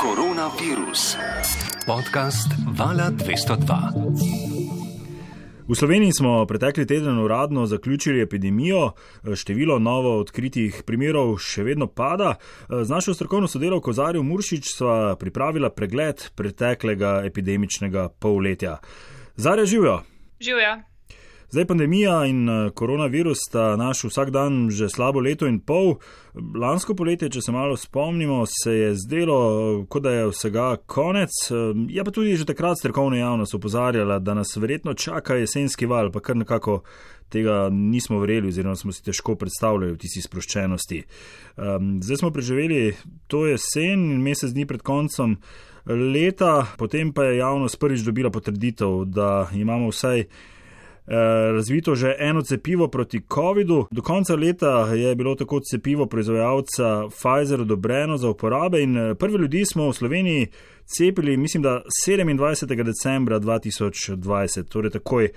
Koronavirus. Podcast Vala 202. V Sloveniji smo pretekli teden uradno zaključili epidemijo, število novo odkritih primerov še vedno pada. Z našo strokovno sodelavko Zarjo Muršič sva pripravila pregled preteklega epidemičnega polletja. Zarja, živjo! Živjo! Zdaj pandemija in koronavirus sta naš vsak dan že slabo leto in pol. Lansko poletje, če se malo spomnimo, se je zdelo, kot da je vsega konec. Je pa tudi že takrat strokovna javnost opozarjala, da nas verjetno čaka jesenski val, pa kar nekako tega nismo verjeli oziroma smo si težko predstavljali v tisti sproščenosti. Zdaj smo preživeli to jesen in mesec dni pred koncem leta, potem pa je javnost prvič dobila potrditev, da imamo vsaj razvito že eno cepivo proti covidu. Do konca leta je bilo tako cepivo proizvajalca Pfizer odobreno za uporabe in prvi ljudi smo v Sloveniji cepili, mislim, da 27. decembra 2020, torej takoj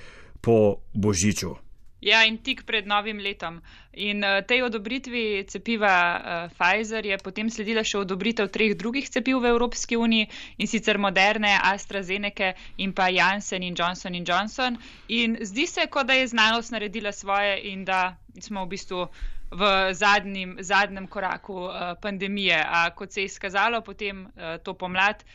po Božiču. Ja, in tik pred novim letom. In tej odobritvi cepiva Pfizer je potem sledila še odobritev 3 drugih cepiv v Evropski uniji, in sicer Moderne, AstraZeneca in pa Janssen in Johnson. In zdi se, kot da je znanost naredila svoje in da smo v bistvu v zadnjem koraku pandemije. A kot se je izkazalo potem to pomlad,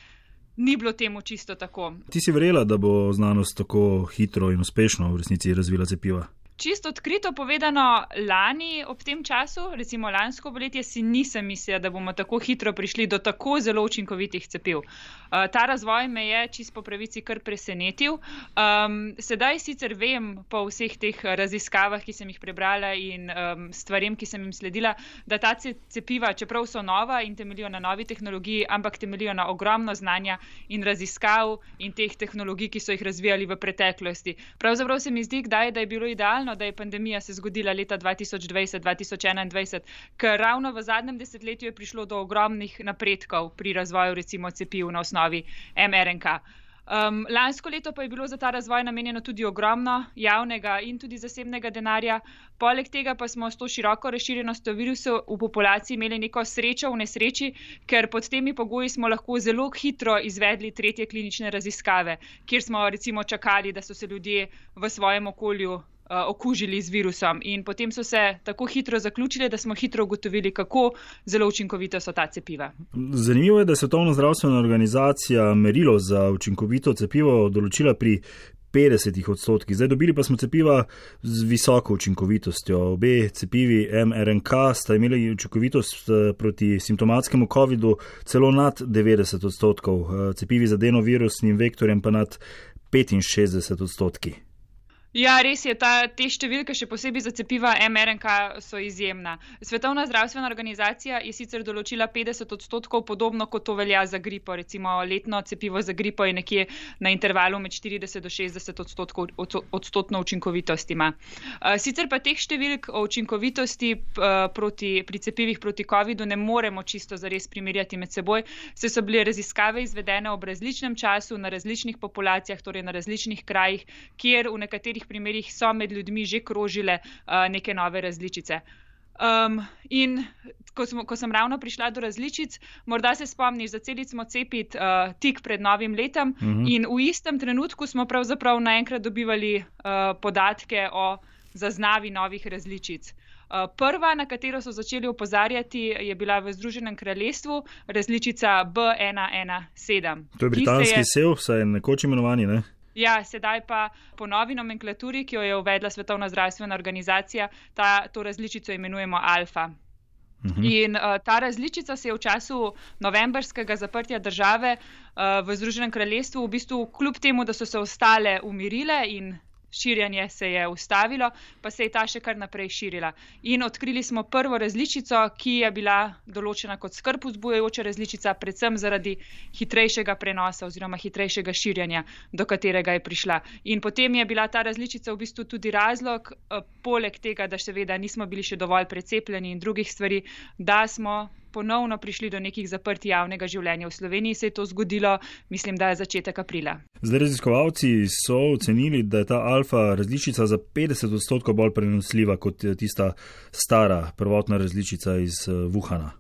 ni bilo temu čisto tako. Ti si verjela, da bo znanost tako hitro in uspešno v resnici razvila cepiva? Čisto odkrito povedano, lani ob tem času, recimo lansko poletje, si nisem mislila, da bomo tako hitro prišli do tako zelo učinkovitih cepiv. Ta razvoj me je čisto po pravici kar presenetil. Sedaj sicer vem po vseh teh raziskavah, ki sem jih prebrala in stvarem, ki sem jim sledila, da ta cepiva, čeprav so nova in temeljijo na novi tehnologiji, ampak temeljijo na ogromno znanja in raziskav in teh tehnologij, ki so jih razvijali v preteklosti. Pravzaprav se mi zdi, kdaj, da je bilo idealno, da je pandemija se zgodila leta 2020-2021, ker ravno v zadnjem desetletju je prišlo do ogromnih napredkov pri razvoju recimo cepiv na osnovi mRNK. Lansko leto pa je bilo za ta razvoj namenjeno tudi ogromno javnega in tudi zasebnega denarja. Poleg tega pa smo s to široko razširjenostjo virusa v populaciji imeli neko srečo v nesreči, ker pod temi pogoji smo lahko zelo hitro izvedli 3. klinične raziskave, kjer smo recimo čakali, da so se ljudje v svojem okolju okužili z virusom, in potem so se tako hitro zaključili, da smo hitro ugotovili, kako zelo učinkovita so ta cepiva. Zanimivo je, da je Svetovna zdravstvena organizacija merilo za učinkovito cepivo določila pri 50%. Zdaj dobili pa smo cepiva z visoko učinkovitostjo. Obe cepivi mRNK sta imeli učinkovitost proti simptomatskemu covidu celo nad 90%, cepivi z adenovirusnim vektorjem pa nad 65%. Ja, res je, te številke, še posebej za cepiva mRNK, so izjemna. Svetovna zdravstvena organizacija je sicer določila 50%, podobno kot to velja za gripo. Recimo letno cepivo za gripo je nekje na intervalu med 40 do 60% učinkovitost ima. Sicer pa teh številk o učinkovitosti pri cepivih proti covidu ne moremo čisto zares primerjati med seboj, saj so bile raziskave izvedene ob različnem času, na različnih populacijah, torej na različnih krajih, kjer v nekaterih primerih so med ljudmi že krožile neke nove različice. In ko sem ravno prišla do različic, morda se spomniš, začeli smo cepiti tik pred novim letom in v istem trenutku smo pravzaprav naenkrat dobivali podatke o zaznavi novih različic. Prva, na katero so začeli opozarjati, je bila v Združenem kraljestvu različica B117. To je britanski sev, saj je nekoč imenovani, ne? Ja, sedaj pa po novi nomenklaturi, ki jo je uvedla Svetovna zdravstvena organizacija, to različico imenujemo alfa. In ta različica se je v času novembrskega zaprtja države v Združenem kraljestvu v bistvu kljub temu, da so se ostale umirile in širjenje se je ustavilo, pa se je ta še kar naprej širila. In odkrili smo prvo različico, ki je bila določena kot skrb vzbujajoča različica, predvsem zaradi hitrejšega prenosa oziroma hitrejšega širjenja, do katerega je prišla. In potem je bila ta različica v bistvu tudi razlog, poleg tega, da seveda nismo bili še dovolj precepljeni in drugih stvari, da smo ponovno prišli do nekih zaprtij javnega življenja. V Sloveniji se je to zgodilo, mislim, da je začetek aprila. Zdaj raziskovalci so ocenili, da je ta alfa različica za 50% bolj prenosljiva kot tista stara prvotna različica iz Wuhana.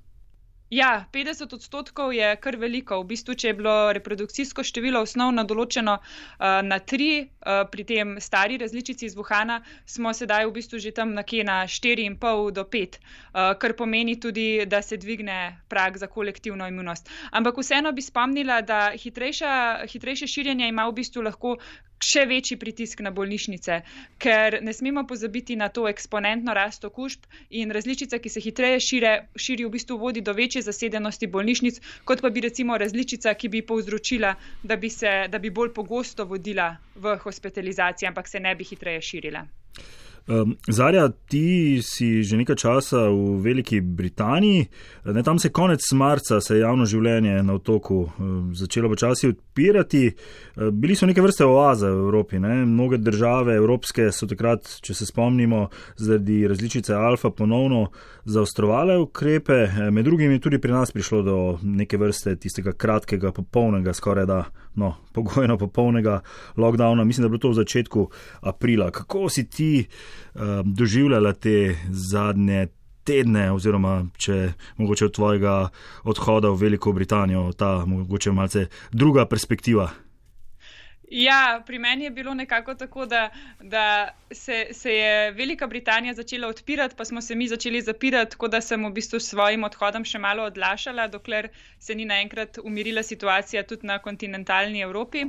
Ja, 50% je kar veliko. V bistvu, če je bilo reprodukcijsko število osnovno določeno na 3, pri tem stari različici iz Wuhana, smo sedaj v bistvu že tam nekje na 4,5 do 5, kar pomeni tudi, da se dvigne prag za kolektivno imunost. Ampak vseeno bi spomnila, da hitrejše širjenje ima v bistvu lahko še večji pritisk na bolnišnice, ker ne smemo pozabiti na to eksponentno rast okužb in različica, ki se hitreje širi, v bistvu vodi do večje zasedenosti bolnišnic, kot pa bi recimo različica, ki bi povzročila, da bi bolj pogosto vodila v hospitalizaciji, ampak se ne bi hitreje širila. Zarja, ti si že nekaj časa v Veliki Britaniji. Tam se konec marca se je javno življenje na otoku začelo počasi odpirati. Bili so neke vrste oaze v Evropi. Mnoge države evropske so takrat, če se spomnimo, zaradi različice alfa ponovno zaostrovale ukrepe. Med drugim je tudi pri nas prišlo do neke vrste tistega kratkega, popolnega, skoraj da, pogojno popolnega lockdowna. Mislim, da je bilo to v začetku aprila. Kako si ti doživljala te zadnje tedne oziroma če mogoče od tvojega odhoda v Veliko Britanijo, ta mogoče malce druga perspektiva? Ja, pri meni je bilo nekako tako, da se je Velika Britanija začela odpirati, pa smo se mi začeli zapirati, tako da sem v bistvu s svojim odhodom še malo odlašala, dokler se ni naenkrat umirila situacija tudi na kontinentalni Evropi.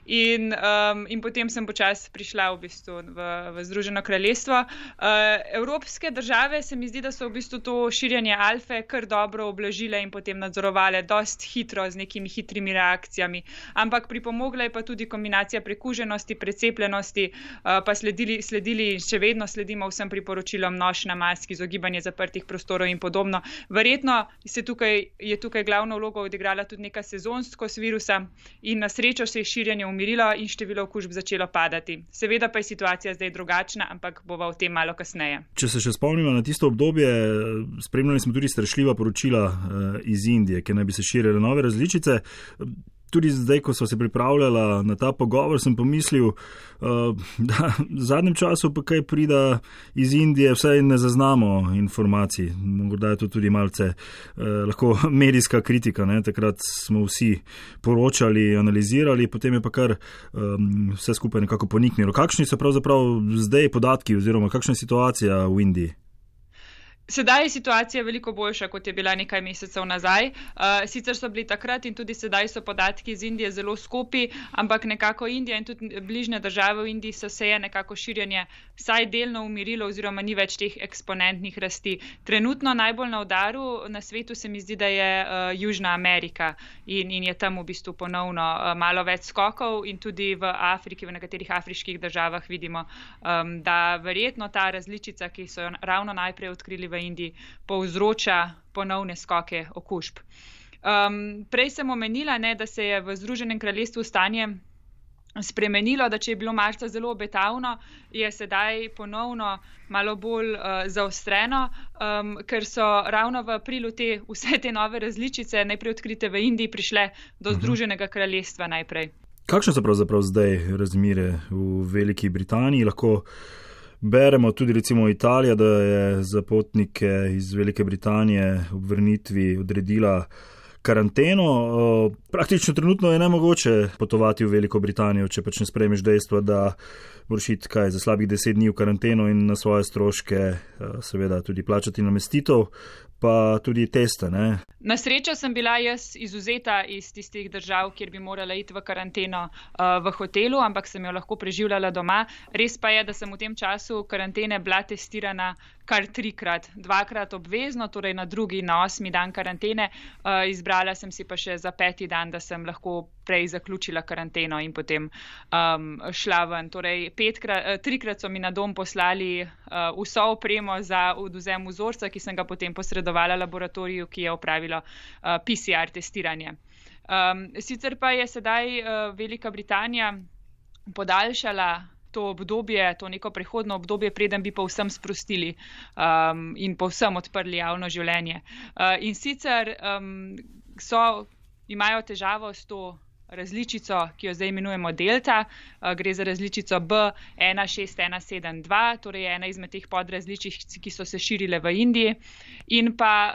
In potem sem počasi prišla v bistvu v Združeno kraljestvo. Evropske države se mi zdi, da so v bistvu to širjenje alfe kar dobro oblažile in potem nadzorovale dosti hitro z nekimi hitrimi reakcijami. Ampak pripomogla je pa tudi kombinacija prekuženosti, precepljenosti, pa sledili in še vedno sledimo vsem priporočilom nošenja mask, izogibanje zaprtih prostorov in podobno. Verjetno je tukaj glavno vlogo odigrala tudi neka sezonskost virusa in na srečo se je širjenje umirilo in število okužb začelo padati. Seveda pa je situacija zdaj drugačna, ampak bova o tem malo kasneje. Če se še spomnimo na tisto obdobje, spremljali smo tudi strašljiva poročila iz Indije, ki naj bi se širile nove različice. Tudi zdaj, ko so se pripravljala na ta pogovor, sem pomislil, da v zadnjem času pa kaj prida iz Indije, vsaj ne zaznamo informacij. Morda je to tudi malce lahko medijska kritika. Takrat smo vsi poročali, analizirali, potem je pa kar vse skupaj nekako poniknilo. Kakšni so pravzaprav zdaj podatki oziroma kakšna je situacija v Indiji? Sedaj je situacija veliko boljša, kot je bila nekaj mesecev nazaj. Sicer so bili takrat in tudi sedaj so podatki iz Indije zelo skopi, ampak nekako Indija in tudi bližnje države v Indiji se je nekako širjenje vsaj delno umirilo oziroma ni več teh eksponentnih rasti. Trenutno najbolj na udaru na svetu se mi zdi, da je Južna Amerika in je tam v bistvu ponovno malo več skokov in tudi v Afriki, v nekaterih afriških državah vidimo, da verjetno ta različica, ki so jo ravno najprej odkrili v Indiji, povzroča ponovne skoke okužb. Prej sem omenila, da se je v Združenem kraljestvu stanje spremenilo, da če je bilo marca zelo obetavno, je sedaj ponovno malo bolj zaostreno, ker so ravno v aprilu vse te nove različice, najprej odkrite v Indiji, prišle do Združenega kraljestva najprej. Kakšne so pravzaprav zdaj razmere v Veliki Britaniji? Lahko beremo tudi recimo Italija, da je za potnike iz Velike Britanije ob vrnitvi odredila karanteno. Praktično trenutno je nemogoče potovati v Veliko Britanijo, če pač ne sprejmeš dejstva, da moraš iti za slabih 10 dni v karanteno in na svoje stroške seveda tudi plačati namestitev, pa tudi teste, ne? Na srečo sem bila jaz izvzeta iz tistih držav, kjer bi morala iti v karanteno v hotelu, ampak sem jo lahko preživljala doma. Res pa je, da sem v tem času karantene bila testirana kar 3-krat, 2-krat obvezno, torej na 2. in na 8. dan karantene. Izbrala sem si pa še za 5. dan, da sem lahko prej zaključila karanteno in potem šla ven. Torej 3-krat so mi na dom poslali vso opremo za odvzem vzorca, ki sem ga potem posredovala laboratoriju, ki je opravilo PCR testiranje. Sicer pa je sedaj Velika Britanija podaljšala to obdobje, to neko prehodno obdobje, preden bi povsem sprostili in povsem odprli javno življenje. In sicer imajo težavo s to različico, ki jo zdaj imenujemo delta, gre za različico B16172, torej ena izmed teh podrazličic, ki so se širile v Indiji. In pa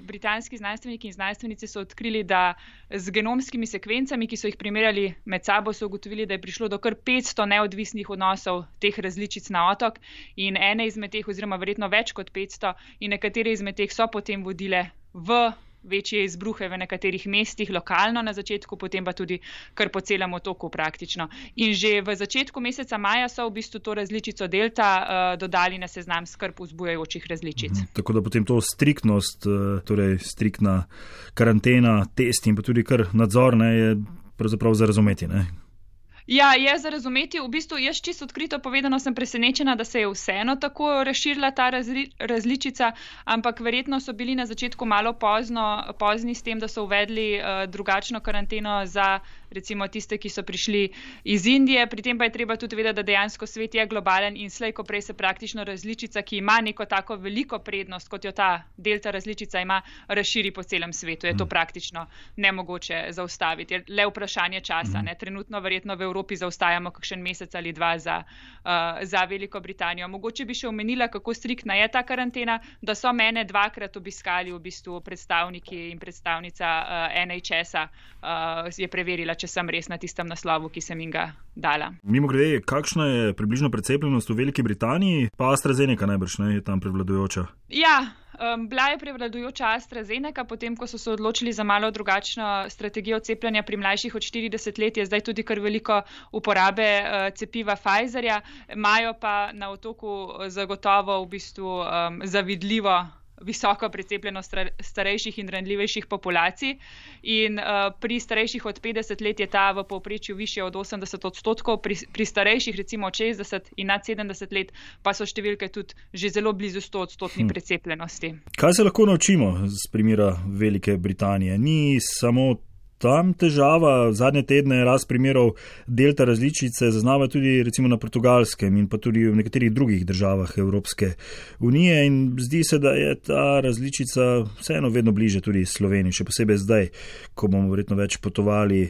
britanski znanstveniki in znanstvenice so odkrili, da z genomskimi sekvencami, ki so jih primerjali med sabo, so ugotovili, da je prišlo do kar 500 neodvisnih odnosov teh različic na otok in ene izmed teh, oziroma verjetno več kot 500, in nekatere izmed teh so potem vodile v večje izbruhe v nekaterih mestih, lokalno na začetku, potem pa tudi kar po celem otoku praktično. In že v začetku meseca maja so v bistvu to različico delta dodali na seznam skrb vzbujajočih različic. Tako da potem to striktnost, torej striktna karantena, test in pa tudi kar nadzor, je pravzaprav za razumeti, ne? Ja, je za razumeti. V bistvu jaz čisto odkrito povedano sem presenečena, da se je vseeno tako razširila ta različica, ampak verjetno so bili na začetku malo pozni s tem, da so uvedli drugačno karanteno za recimo tiste, ki so prišli iz Indije. Pri tem pa je treba tudi vedeti, da dejansko svet je globalen in slej ko prej se praktično različica, ki ima neko tako veliko prednost, kot jo ta delta različica ima, razširi po celem svetu. Je to praktično nemogoče zaustaviti. Je le vprašanje časa. Ne? Trenutno verjetno v Evropi zaostajamo kakšen mesec ali dva za Veliko Britanijo. Mogoče bi še omenila, kako striktna je ta karantena, da so mene 2-krat obiskali v bistvu predstavniki in predstavnica NHS-a je preverila, če sem res na tistem naslovu, ki sem jim ga dala. Mimogrede, kakšna je približno precepljenost v Veliki Britaniji? Pa AstraZeneca najbrž je tam prevladujoča. Ja, bila je prevladujoča AstraZeneca, potem ko so se odločili za malo drugačno strategijo cepljenja pri mlajših od 40 let, je zdaj tudi kar veliko uporabe cepiva Pfizerja. Imajo pa na otoku zagotovo v bistvu zavidljivo visoko precepljenost starejših in ranljivejših populacij in pri starejših od 50 let je ta v povprečju višja od 80%, pri starejših recimo od 60 in nad 70 let pa so številke tudi že zelo blizu 100% precepljenosti. Kaj se lahko naučimo z primera Velike Britanije? Ni samo tam težava, zadnje tedne je rast primerov delta različice zaznava tudi recimo na Portugalskem in pa tudi v nekaterih drugih državah Evropske unije in zdi se, da je ta različica vseeno vedno bliže tudi Sloveniji, še posebej zdaj, ko bomo verjetno več potovali,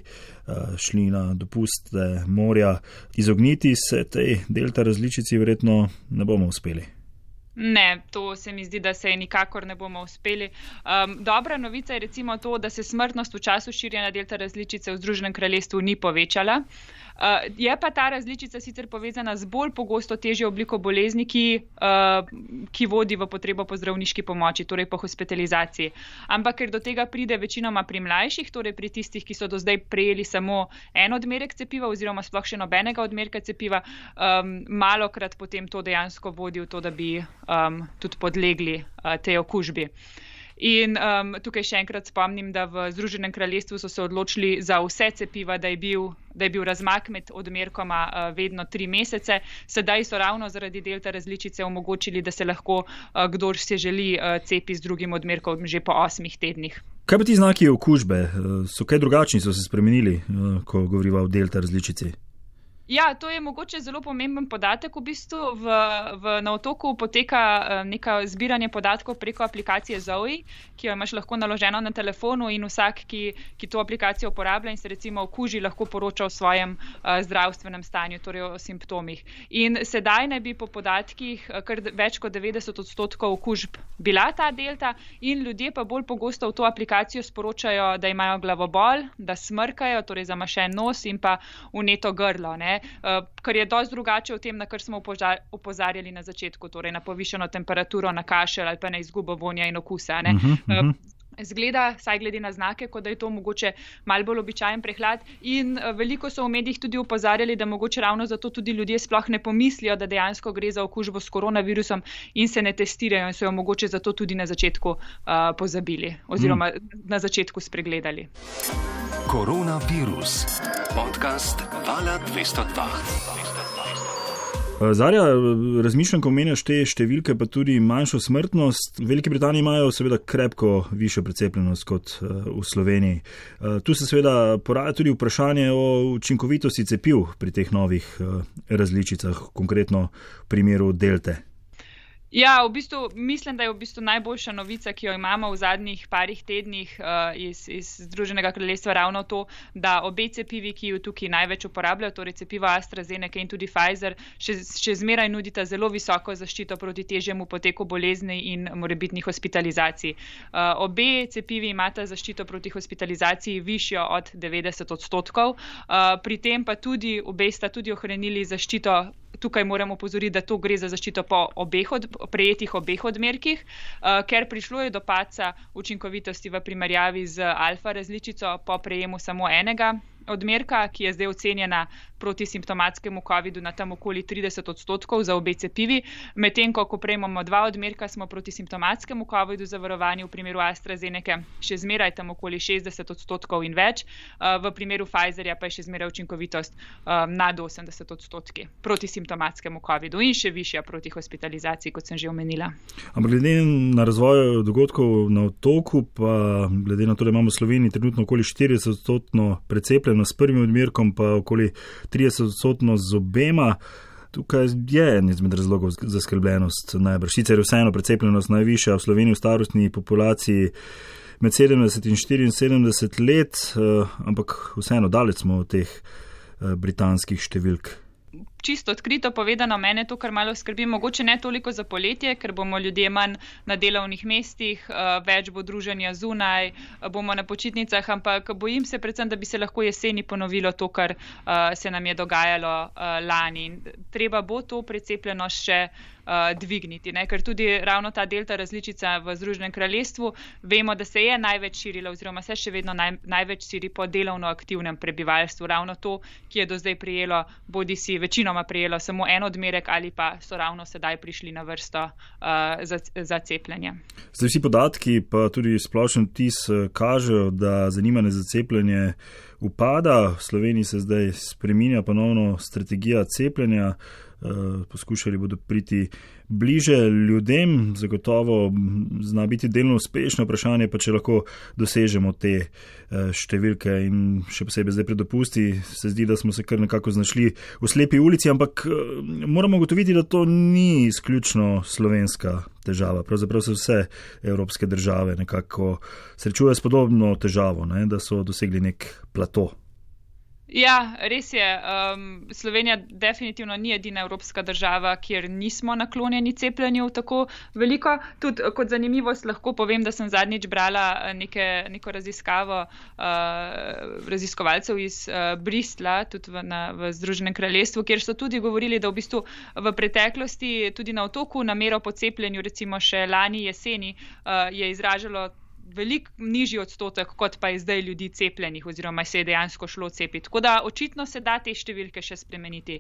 šli na dopuste morja. Izogniti se tej delta različici verjetno ne bomo uspeli. Ne, to se mi zdi, da se nikakor ne bomo uspeli. Dobra novica je recimo to, da se smrtnost v času širjenja delta različice v Združenem kraljestvu ni povečala. Je pa ta različica sicer povezana z bolj pogosto težjo obliko bolezni, ki vodi v potrebo po zdravniški pomoči, torej po hospitalizaciji. Ampak ker do tega pride večinoma pri mlajših, torej pri tistih, ki so do zdaj prejeli samo en odmerek cepiva oziroma sploh še nobenega odmerka cepiva, malokrat potem to dejansko vodi v to, da bi tudi podlegli tej okužbi. In tukaj še enkrat spomnim, da v Združenem kraljestvu so se odločili za vse cepiva, da je bil razmak med odmerkoma vedno 3 mesece. Sedaj so ravno zaradi delta različice omogočili, da se lahko kdor se želi cepi z drugim odmerkom že po 8 tednih. Kaj pa ti znaki okužbe? So kaj drugačni, so se spremenili, ko govoriva o delta različici? Ja, to je mogoče zelo pomemben podatek. V bistvu na otoku poteka neka zbiranje podatkov preko aplikacije Zoe, ki jo imaš lahko naloženo na telefonu in vsak, ki to aplikacijo uporablja in se recimo okuži, lahko poroča o svojem zdravstvenem stanju, torej o simptomih. In sedaj naj bi po podatkih kar več kot 90% okužb bila ta delta in ljudje pa bolj pogosto v to aplikacijo sporočajo, da imajo glavobol, da smrkajo, torej zamašen nos in pa vneto grlo, ne. Kar je dosti drugače od tem, na kar smo opozarjali na začetku, torej na povišano temperaturo, na kašelj ali pa na izgubo vonja in okusa. Zgleda, saj glede na znake, kot da je to mogoče malo bolj običajen prehlad in veliko so v medijih tudi opozarjali, da mogoče ravno zato tudi ljudje sploh ne pomislijo, da dejansko gre za okužbo s koronavirusom in se ne testirajo in so jo mogoče zato tudi na začetku pozabili oziroma na začetku spregledali. Koronavirus. Podcast Vala 202. Zarja, razmišljam, ko omenjaš te številke, pa tudi manjšo smrtnost. V Veliki Britaniji imajo seveda krepko višjo precepljenost kot v Sloveniji. Tu se seveda poraja tudi vprašanje o učinkovitosti cepiv pri teh novih različicah, konkretno v primeru delte. Ja, v bistvu mislim, da je v bistvu najboljša novica, ki jo imamo v zadnjih parih tednih iz Združenega kraljestva ravno to, da obe cepivi, ki jo tukaj največ uporabljajo, torej cepivo AstraZeneca in tudi Pfizer, še zmeraj nudita zelo visoko zaščito proti težjemu poteku bolezni in morebitnih hospitalizacij. Obe cepivi imata zaščito proti hospitalizaciji višjo od 90%, pri tem pa tudi obe sta tudi ohranili zaščito. Tukaj moramo opozoriti, da to gre za zaščito po prejetih obeh odmerkih, ker prišlo je do padca učinkovitosti v primerjavi z alfa različico po prejemu samo enega odmerka, ki je zdaj ocenjena proti simptomatskemu COVID-u na tam okoli 30% za obe cepivi. Medtem, ko prejmemo 2 odmerka, smo proti simptomatskemu COVID-u zavarovani v primeru AstraZeneca še zmeraj tam okoli 60% in več. V primeru Pfizerja pa je še zmeraj učinkovitost nad 80% proti simptomatskemu COVID-u in še višja proti hospitalizaciji, kot sem že omenila. Ampak glede na razvoj dogodkov na otoku, pa glede na to, da imamo v Sloveniji trenutno okoli 40% precepljenost s prvim odmerkom, pa okoli 30% z obema. Tukaj je en izmed razlogov za skrbljenost najbrž. Sicer je vseeno precepljenost najvišja v Sloveniji v starostni populaciji med 70 in 74 let, ampak vseeno daleč smo od teh britanskih številk. Čisto odkrito povedano, mene to kar malo skrbi, mogoče ne toliko za poletje, ker bomo ljudje manj na delovnih mestih, več bo druženja zunaj, bomo na počitnicah, ampak bojim se predvsem, da bi se lahko jeseni ponovilo to, kar se nam je dogajalo lani. Treba bo to precepljenost še dvigniti, ne? Ker tudi ravno ta delta različica v Združenem kraljestvu, vemo, da se je največ širila oziroma se še vedno največ širi po delovno aktivnem prebivalstvu. Ravno to, ki je do zdaj prejelo, bodisi večinoma prejelo samo en odmerek ali pa so ravno sedaj prišli na vrsto za cepljenje. Zdaj vsi podatki pa tudi splošen vtis kažejo, da zanimanje za cepljenje upada. V Sloveniji se zdaj spreminja ponovno strategija cepljenja. Poskušali bodo priti bliže ljudem, zagotovo zna biti delno uspešno, vprašanje pa, če lahko dosežemo te številke in še posebej zdaj pred dopusti se zdi, da smo se kar nekako znašli v slepi ulici, ampak moramo ugotoviti, da to ni izključno slovenska težava. Pravzaprav se vse evropske države nekako srečujejo s podobno težavo, ne, da so dosegli nek plato. Ja, res je. Slovenija definitivno ni edina evropska država, kjer nismo naklonjeni cepljenju tako veliko. Tudi kot zanimivost lahko povem, da sem zadnjič brala neko raziskavo raziskovalcev iz Bristla, tudi v Združenem kraljestvu, kjer so tudi govorili, da v bistvu v preteklosti tudi na otoku namero po cepljenju, recimo še lani jeseni, je izražalo veliko nižji odstotek, kot pa je zdaj ljudi cepljenih oziroma se je dejansko šlo cepiti. Tako da očitno se da te številke še spremeniti.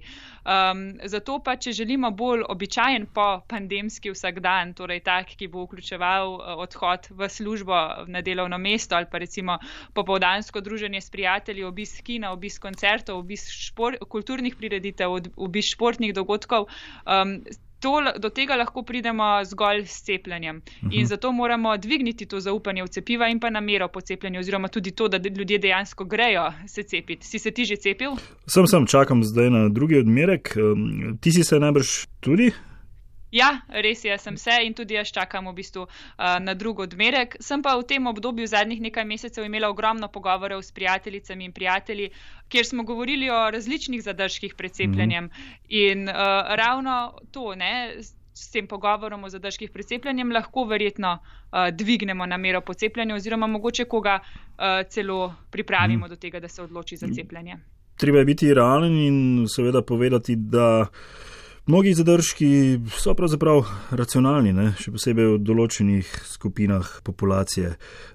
Zato pa, če želimo bolj običajen po pandemski vsakdan, torej tak, ki bo vključeval odhod v službo na delovno mesto ali pa recimo popoldansko druženje s prijatelji, obisk kina, obisk koncertov, obisk kulturnih prireditev, obisk športnih dogodkov, do tega lahko pridemo zgolj s cepljenjem. In zato moramo dvigniti to zaupanje v cepiva in pa namero po cepljenju, oziroma tudi to, da ljudje dejansko grejo se cepiti. Si se ti že cepil? Sem, čakam zdaj na drugi odmerek. Ti si se najbrž tudi? Ja, res je, sem se in tudi jaz čakam v bistvu na drug odmerek. Sem pa v tem obdobju zadnjih nekaj mesecev imela ogromno pogovorov s prijateljicami in prijatelji, kjer smo govorili o različnih zadržkih pred cepljenjem. In ravno to, ne, s tem pogovorom o zadržkih pred cepljenjem lahko verjetno dvignemo namero po cepljenju oziroma mogoče koga celo pripravimo do tega, da se odloči za cepljenje. Treba je biti realen in seveda povedati, da mnogi zadržki so pravzaprav racionalni, ne? Še posebej v določenih skupinah populacije.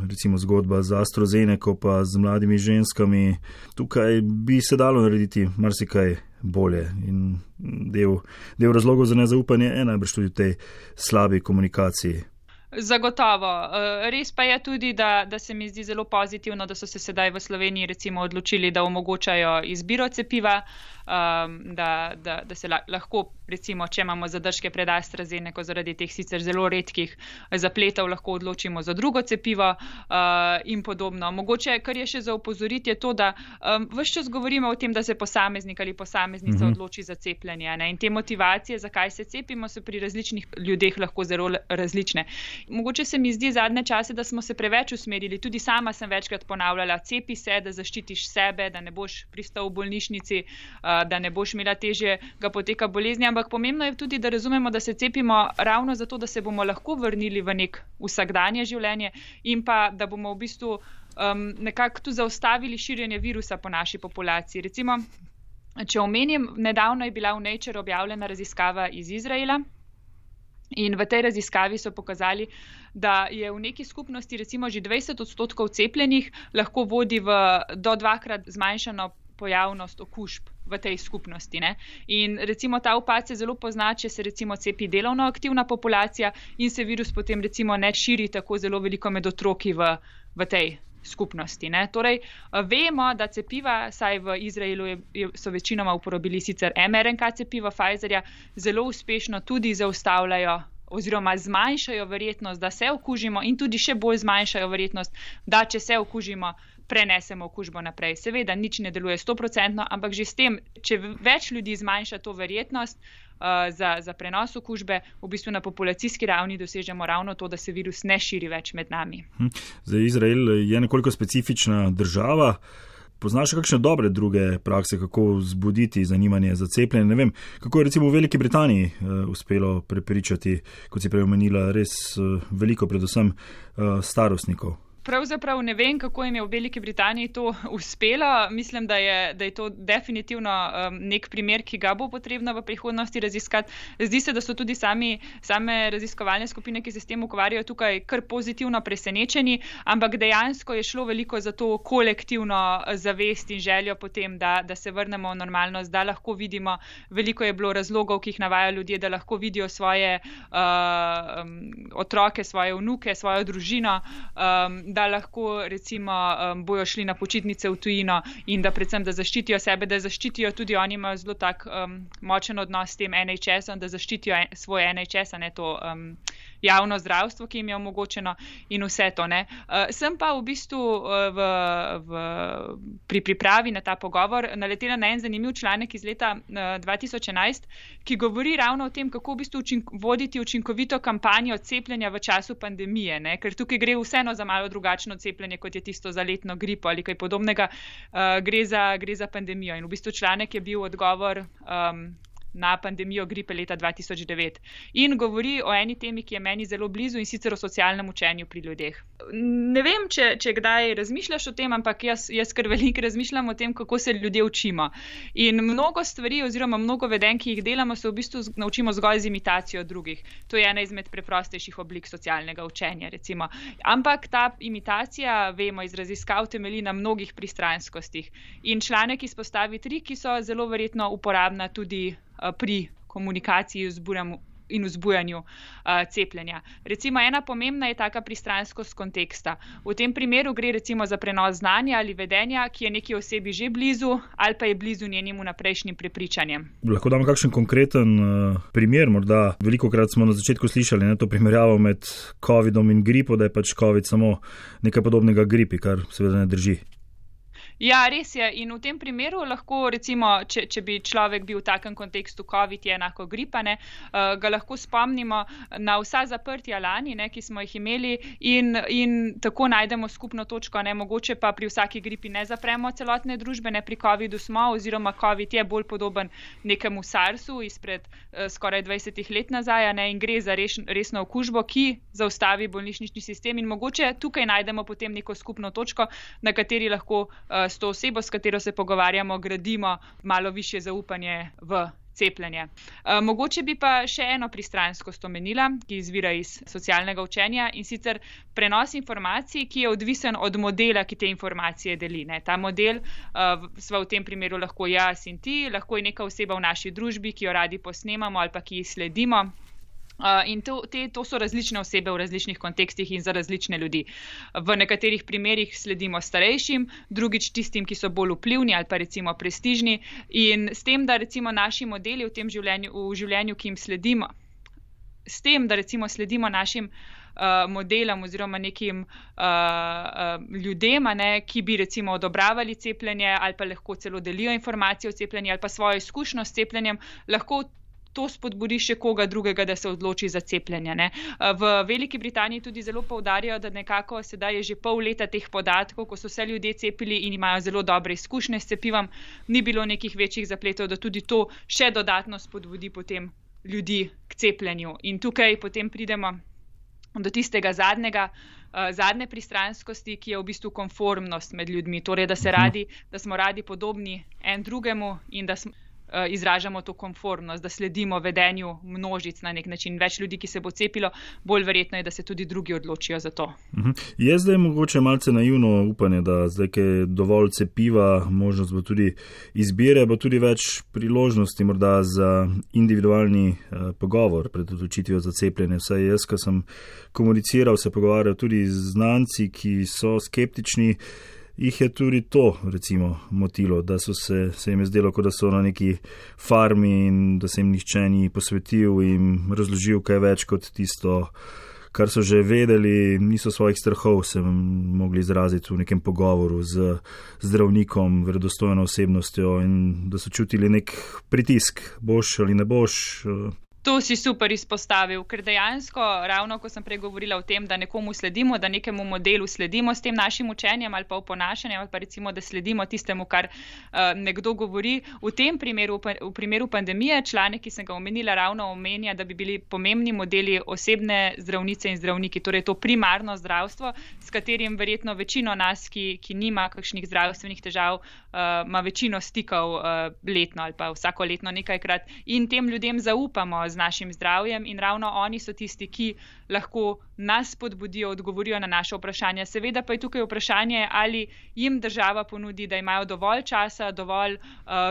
Recimo zgodba z AstraZeneca pa z mladimi ženskami. Tukaj bi se dalo narediti marsikaj bolje in del razlogov za nezaupanje je najbrž tudi v tej slabi komunikaciji. Zagotovo. Res pa je tudi, da se mi zdi zelo pozitivno, da so se sedaj v Sloveniji recimo odločili, da omogočajo izbiro cepiva, da se lahko, recimo, če imamo zadržke pred AstraZeneco zaradi teh sicer zelo redkih zapletov, lahko odločimo za drugo cepivo in podobno. Mogoče, kar je še za opozoriti, je to, da ves čas govorimo o tem, da se posameznik ali posameznica odloči za cepljenje. Ne? In te motivacije, zakaj se cepimo, so pri različnih ljudeh lahko zelo različne. Mogoče se mi zdi zadnje čase, da smo se preveč usmerili. Tudi sama sem večkrat ponavljala, cepi se, da zaščitiš sebe, da ne boš pristal v bolnišnici, da ne boš imela težjega poteka bolezni, ampak pomembno je tudi, da razumemo, da se cepimo ravno zato, da se bomo lahko vrnili v nek vsakdanje življenje in pa, da bomo v bistvu nekako tu zaustavili širjenje virusa po naši populaciji. Recimo, če omenim, nedavno je bila v Nature objavljena raziskava iz Izraela in v tej raziskavi so pokazali, da je v neki skupnosti recimo že 20% cepljenih lahko vodi do 2-krat zmanjšano pojavnost okužb v tej skupnosti. Ne? In recimo ta upad se zelo pozna, če se recimo cepi delovno aktivna populacija in se virus potem recimo ne širi tako zelo veliko med otroki v tej skupnosti. Ne? Torej, vemo, da cepiva, saj v Izraelu so večinoma uporabili sicer mRNK cepiva Pfizerja, zelo uspešno tudi zaustavljajo oziroma zmanjšajo verjetnost, da se okužimo in tudi še bolj zmanjšajo verjetnost, da če se okužimo, prenesemo okužbo naprej. Seveda, nič ne deluje 100%, ampak že s tem, če več ljudi zmanjša to verjetnost za prenos okužbe, v bistvu na populacijski ravni dosežemo ravno to, da se virus ne širi več med nami. Zdaj, Izrael je nekoliko specifična država. Poznaš kakšne dobre druge prakse, kako vzbuditi zanimanje za cepljenje? Ne vem, kako je recimo v Veliki Britaniji uspelo prepričati, kot si prej omenila, res veliko predvsem starostnikov. Pravzaprav ne vem, kako jim je v Veliki Britaniji to uspelo. Mislim, da je to definitivno nek primer, ki ga bo potrebno v prihodnosti raziskati. Zdi se, da so tudi same raziskovalne skupine, ki se s tem ukvarjajo, tukaj kar pozitivno presenečeni, ampak dejansko je šlo veliko za to kolektivno zavest in željo potem, da se vrnemo v normalnost, da lahko vidimo, veliko je bilo razlogov, ki jih navajajo ljudje, da lahko vidijo svoje otroke, svoje vnuke, svojo družino, da lahko recimo bojo šli na počitnice v tujino in da predvsem, da zaščitijo sebe, da zaščitijo tudi oni imajo zelo tak močen odnos s tem NHS-om, da zaščitijo svoj NHS, a ne to javno zdravstvo, ki jim je omogočeno in vse to. Ne. Sem pa v bistvu pri pripravi na ta pogovor naletela na en zanimiv članek iz leta 2011, ki govori ravno o tem, kako v bistvu voditi učinkovito kampanjo cepljenja v času pandemije, ne. Ker tukaj gre vseeno za malo drugačno cepljenje, kot je tisto za letno gripo ali kaj podobnega, gre za pandemijo. In v bistvu članek je bil odgovor na pandemijo gripe leta 2009. In govori o eni temi, ki je meni zelo blizu in sicer o socialnem učenju pri ljudeh. Ne vem, če kdaj razmišljaš o tem, ampak jaz kar veliko razmišljam o tem, kako se ljudje učimo. In mnogo stvari oziroma mnogo vedenj, ki jih delamo, se v bistvu naučimo zgolj z imitacijo drugih. To je ena izmed preprostejših oblik socialnega učenja, recimo. Ampak ta imitacija, vemo, iz raziskav temelji na mnogih pristranskostih. In članek izpostavi 3, ki so zelo verjetno uporabna tudi pri komunikaciji in vzbujanju cepljenja. Recimo ena pomembna je taka pristranskost konteksta. V tem primeru gre recimo za prenos znanja ali vedenja, ki je neki osebi že blizu ali pa je blizu njenim vnaprejšnjim prepričanjem. Lahko damo kakšen konkreten primer, morda velikokrat smo na začetku slišali to primerjavo med covidom in gripo, da je pač covid samo nekaj podobnega gripi, kar seveda ne drži. Ja, res je. In v tem primeru lahko, recimo, če bi človek bil v takem kontekstu, COVID je enako gripa, ga lahko spomnimo na vsa zaprtja lani, ki smo jih imeli in tako najdemo skupno točko. Mogoče pa pri vsaki gripi ne zapremo celotne družbe, pri COVIDu smo, oziroma COVID je bolj podoben nekemu SARS-u izpred skoraj 20 let nazaj, in gre za resno okužbo, ki zaustavi bolnišnični sistem in mogoče tukaj najdemo potem neko skupno točko, na kateri lahko s to osebo, s katero se pogovarjamo, gradimo malo višje zaupanje v cepljenje. Mogoče bi pa še eno pristranskost omenila, ki izvira iz socialnega učenja, in sicer prenos informacij, ki je odvisen od modela, ki te informacije deli. Ta model sva v tem primeru lahko jaz in ti, lahko je neka oseba v naši družbi, ki jo radi posnemamo ali pa ki ji sledimo. In to so različne osebe v različnih kontekstih in za različne ljudi. V nekaterih primerjih sledimo starejšim, drugič tistim, ki so bolj vplivni ali pa recimo prestižni. In s tem, da recimo naši modeli v življenju, ki jim sledimo, s tem, da recimo sledimo našim modelom oziroma nekim ljudem, ki bi recimo odobravali cepljenje ali pa lahko celo delijo informacije o cepljenju ali pa svojo izkušnjo s cepljenjem, lahko to spodbudi še koga drugega, da se odloči za cepljenje. V Veliki Britaniji tudi zelo poudarjajo, da nekako sedaj je že pol leta teh podatkov, ko so se ljudje cepili in imajo zelo dobre izkušnje s cepivom, ni bilo nekih večjih zapletov, da tudi to še dodatno spodbudi potem ljudi k cepljenju. In tukaj potem pridemo do tistega zadnje pristranskosti, ki je v bistvu konformnost med ljudmi, torej da smo radi podobni en drugemu in da izražamo to konformnost, da sledimo vedenju množic na nek način. Več ljudi, ki se bo cepilo, bolj verjetno je, da se tudi drugi odločijo za to. Je zdaj mogoče malce naivno upanje, da zdaj, ko je dovolj cepiva, možnost bo tudi izbire, bo tudi več priložnosti morda za individualni pogovor pred odločitvijo za cepljenje. Vsaj jaz, ko sem komuniciral, se pogovarjal tudi z znanci, ki so skeptični, jih je tudi to, recimo, motilo, da se jim je zdelo, kot da so na neki farmi in da se jim nihče ni posvetil in razložil kaj več kot tisto, kar so že vedeli, niso svojih strahov se mogli izraziti v nekem pogovoru z zdravnikom, verodostojno osebnostjo in da so čutili nek pritisk, boš ali ne boš. To si super izpostavil, ker dejansko, ravno ko sem prej govorila o tem, da nekomu sledimo, da nekemu modelu sledimo s tem našim učenjem ali pa oponašanjem ali pa recimo, da sledimo tistemu, kar nekdo govori. V tem primeru, v primeru pandemije, članek, ki sem ga omenila, ravno omenja, da bi bili pomembni modeli osebne zdravnice in zdravniki, torej to primarno zdravstvo, s katerim verjetno večino nas, ki nima kakšnih zdravstvenih težav, ima večino stikov letno ali pa vsako letno nekajkrat in tem ljudem zaupamo z našim zdravjem in ravno oni so tisti, ki lahko nas spodbudijo, odgovorijo na naše vprašanja. Seveda pa je tukaj vprašanje, ali jim država ponudi, da imajo dovolj časa, dovolj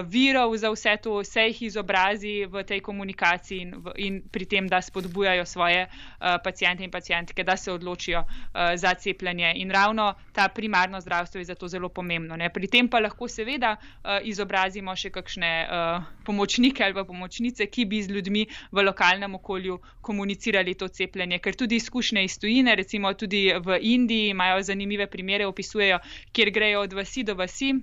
virov za vse to, vse jih izobrazi v tej komunikaciji in pri tem, da spodbujajo svoje paciente in pacientke, da se odločijo za cepljenje. In ravno ta primarno zdravstvo je zato zelo pomembno. Pri tem pa lahko seveda izobrazimo še kakšne pomočnike ali pa pomočnice, ki bi z ljudmi v lokalnem okolju komunicirali to cepljenje, ker tudi izkušnje iz tujine, recimo tudi v Indiji imajo zanimive primere, opisujejo, kjer grejo od vasi do vasi,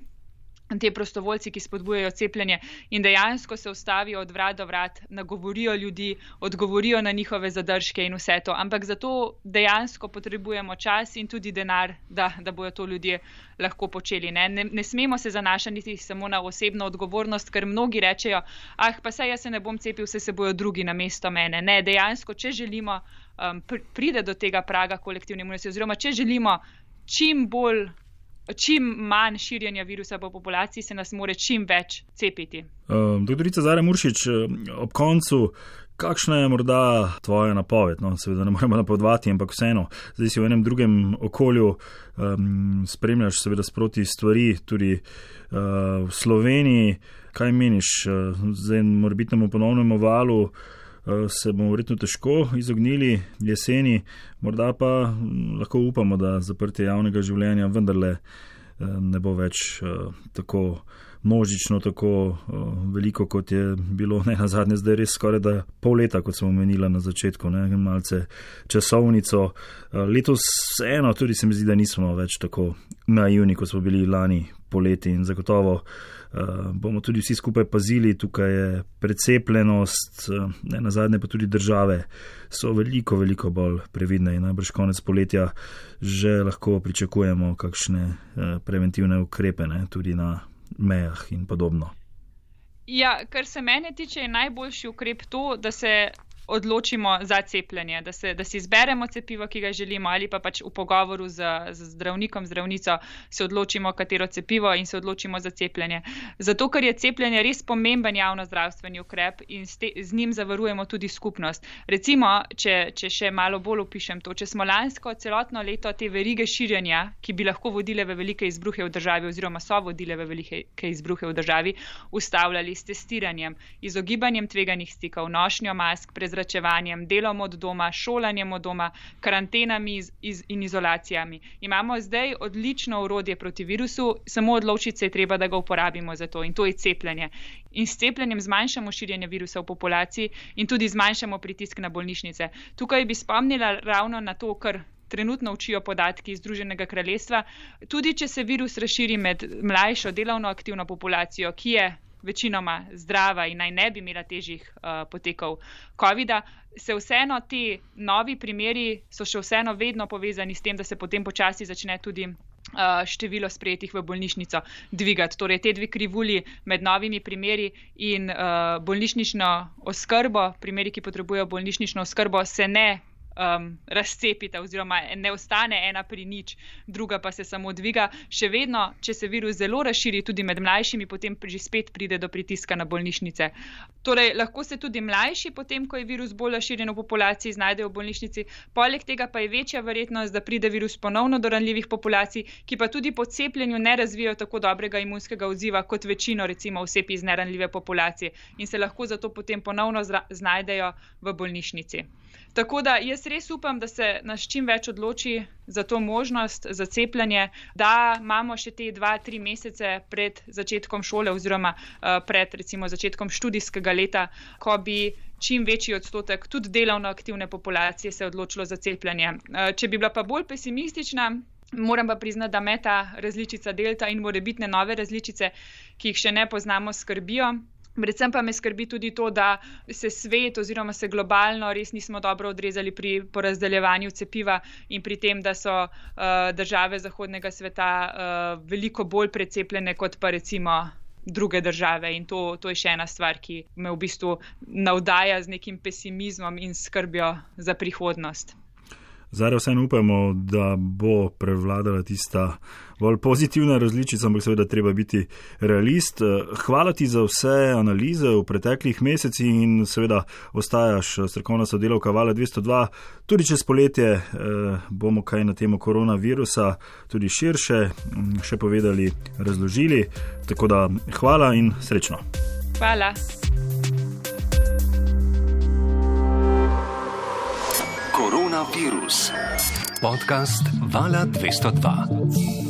te prostovoljci, ki spodbujajo cepljenje in dejansko se ustavijo od vrat do vrat, nagovorijo ljudi, odgovorijo na njihove zadržke in vse to. Ampak zato dejansko potrebujemo čas in tudi denar, da bojo to ljudje lahko počeli. Ne smemo se zanašati samo na osebno odgovornost, ker mnogi rečejo, pa saj jaz se ne bom cepil, se bojo drugi namesto mene. Ne, dejansko, če želimo pride do tega praga kolektivne imunitete oziroma če želimo čim manj širjenja virusa po populaciji, se nas more čim več cepiti. Doktorica Zarja Muršič, ob koncu, kakšna je morda tvoja napoved? Seveda ne moremo napovedovati, ampak vseeno, zdaj si v enem drugem okolju, spremljaš seveda sproti stvari, tudi v Sloveniji. Kaj meniš, zdaj morebitnemu ponovnemu valu se bomo verjetno težko izognili jeseni, morda pa lahko upamo, da zaprtje javnega življenja vendarle ne bo več tako množično, tako veliko, kot je bilo nenazadnje zdaj res skoraj da pol leta, kot smo omenila na začetku, malce časovnico. Letos eno tudi se mi zdi, da nismo več tako naivni, kot smo bili lani poleti in zagotovo bomo tudi vsi skupaj pazili. Tukaj je precepljenost, nenazadnje pa tudi države so veliko, veliko bolj previdne in najbrž konec poletja že lahko pričakujemo kakšne preventivne ukrepe, tudi na mejah in podobno. Ja, kar se mene tiče, je najboljši ukrep to, da se odločimo za cepljenje, da si izberemo cepivo, ki ga želimo, ali pa pač v pogovoru z zdravnikom, zdravnico se odločimo, katero cepivo in se odločimo za cepljenje. Zato, ker je cepljenje res pomemben javnozdravstveni ukrep in z njim zavarujemo tudi skupnost. Recimo, če še malo bolj opišem to, če smo lansko celotno leto te verige širjenja, ki bi lahko vodile v velike izbruhe v državi oziroma so vodile v velike izbruhe v državi, ustavljali s testiranjem, izogibanjem tveganih stikov, nošnjo mask, prezračevanjem prezračevanjem, delom od doma, šolanjem od doma, karantenami in izolacijami. Imamo zdaj odlično orodje proti virusu, samo odločiti se je treba, da ga uporabimo za to, in to je cepljenje. In s cepljenjem zmanjšamo širjenje virusa v populaciji in tudi zmanjšamo pritisk na bolnišnice. Tukaj bi spomnila ravno na to, kar trenutno učijo podatki iz Združenega kraljestva. Tudi če se virus razširi med mlajšo delovno aktivno populacijo, ki je večinoma zdrava in naj ne bi imela težjih potekov COVID-a, se vseeno ti novi primeri so še vseeno vedno povezani s tem, da se potem počasi začne tudi število sprejetih v bolnišnico dvigati. Torej, te dve krivulji med novimi primeri in bolnišnično oskrbo, primeri, ki potrebujejo bolnišnično oskrbo, se ne razcepita oziroma ne ostane ena pri nič, druga pa se samo dviga. Še vedno, če se virus zelo razširi tudi med mlajšimi, potem že spet pride do pritiska na bolnišnice. Torej, lahko se tudi mlajši, potem ko je virus bolj razširjen v populaciji, znajdejo v bolnišnici. Poleg tega pa je večja verjetnost, da pride virus ponovno do ranljivih populacij, ki pa tudi po cepljenju ne razvijajo tako dobrega imunskega odziva kot večino recimo oseb iz neranljive populacije in se lahko zato potem ponovno znajdejo v bolnišnici. Tako da jaz res upam, da se nas čim več odloči za to možnost, za cepljenje, da imamo še te 2-3 mesece pred začetkom šole oziroma pred recimo začetkom študijskega leta, ko bi čim večji odstotek tudi delovno aktivne populacije se odločilo za cepljenje. Če bi bila pa bolj pesimistična, moram pa priznati, da me ta različica delta in morebitne nove različice, ki jih še ne poznamo, skrbijo. Predvsem pa me skrbi tudi to, da se svet oziroma se globalno res nismo dobro odrezali pri porazdeljevanju cepiva in pri tem, da so države zahodnega sveta veliko bolj precepljene kot pa recimo druge države. In to je še ena stvar, ki me v bistvu navdaja z nekim pesimizmom in skrbjo za prihodnost. Zdaj vseeno upamo, da bo prevladala tista bolj pozitivna različica, ampak seveda treba biti realist. Hvala ti za vse analize v preteklih mesecih in seveda ostajaš strokovna sodelavka Vala 202. Tudi čez poletje bomo kaj na temo koronavirusa tudi širše še povedali, razložili. Tako da hvala in srečno. Hvala. Koronavirus. Podcast Vala 202.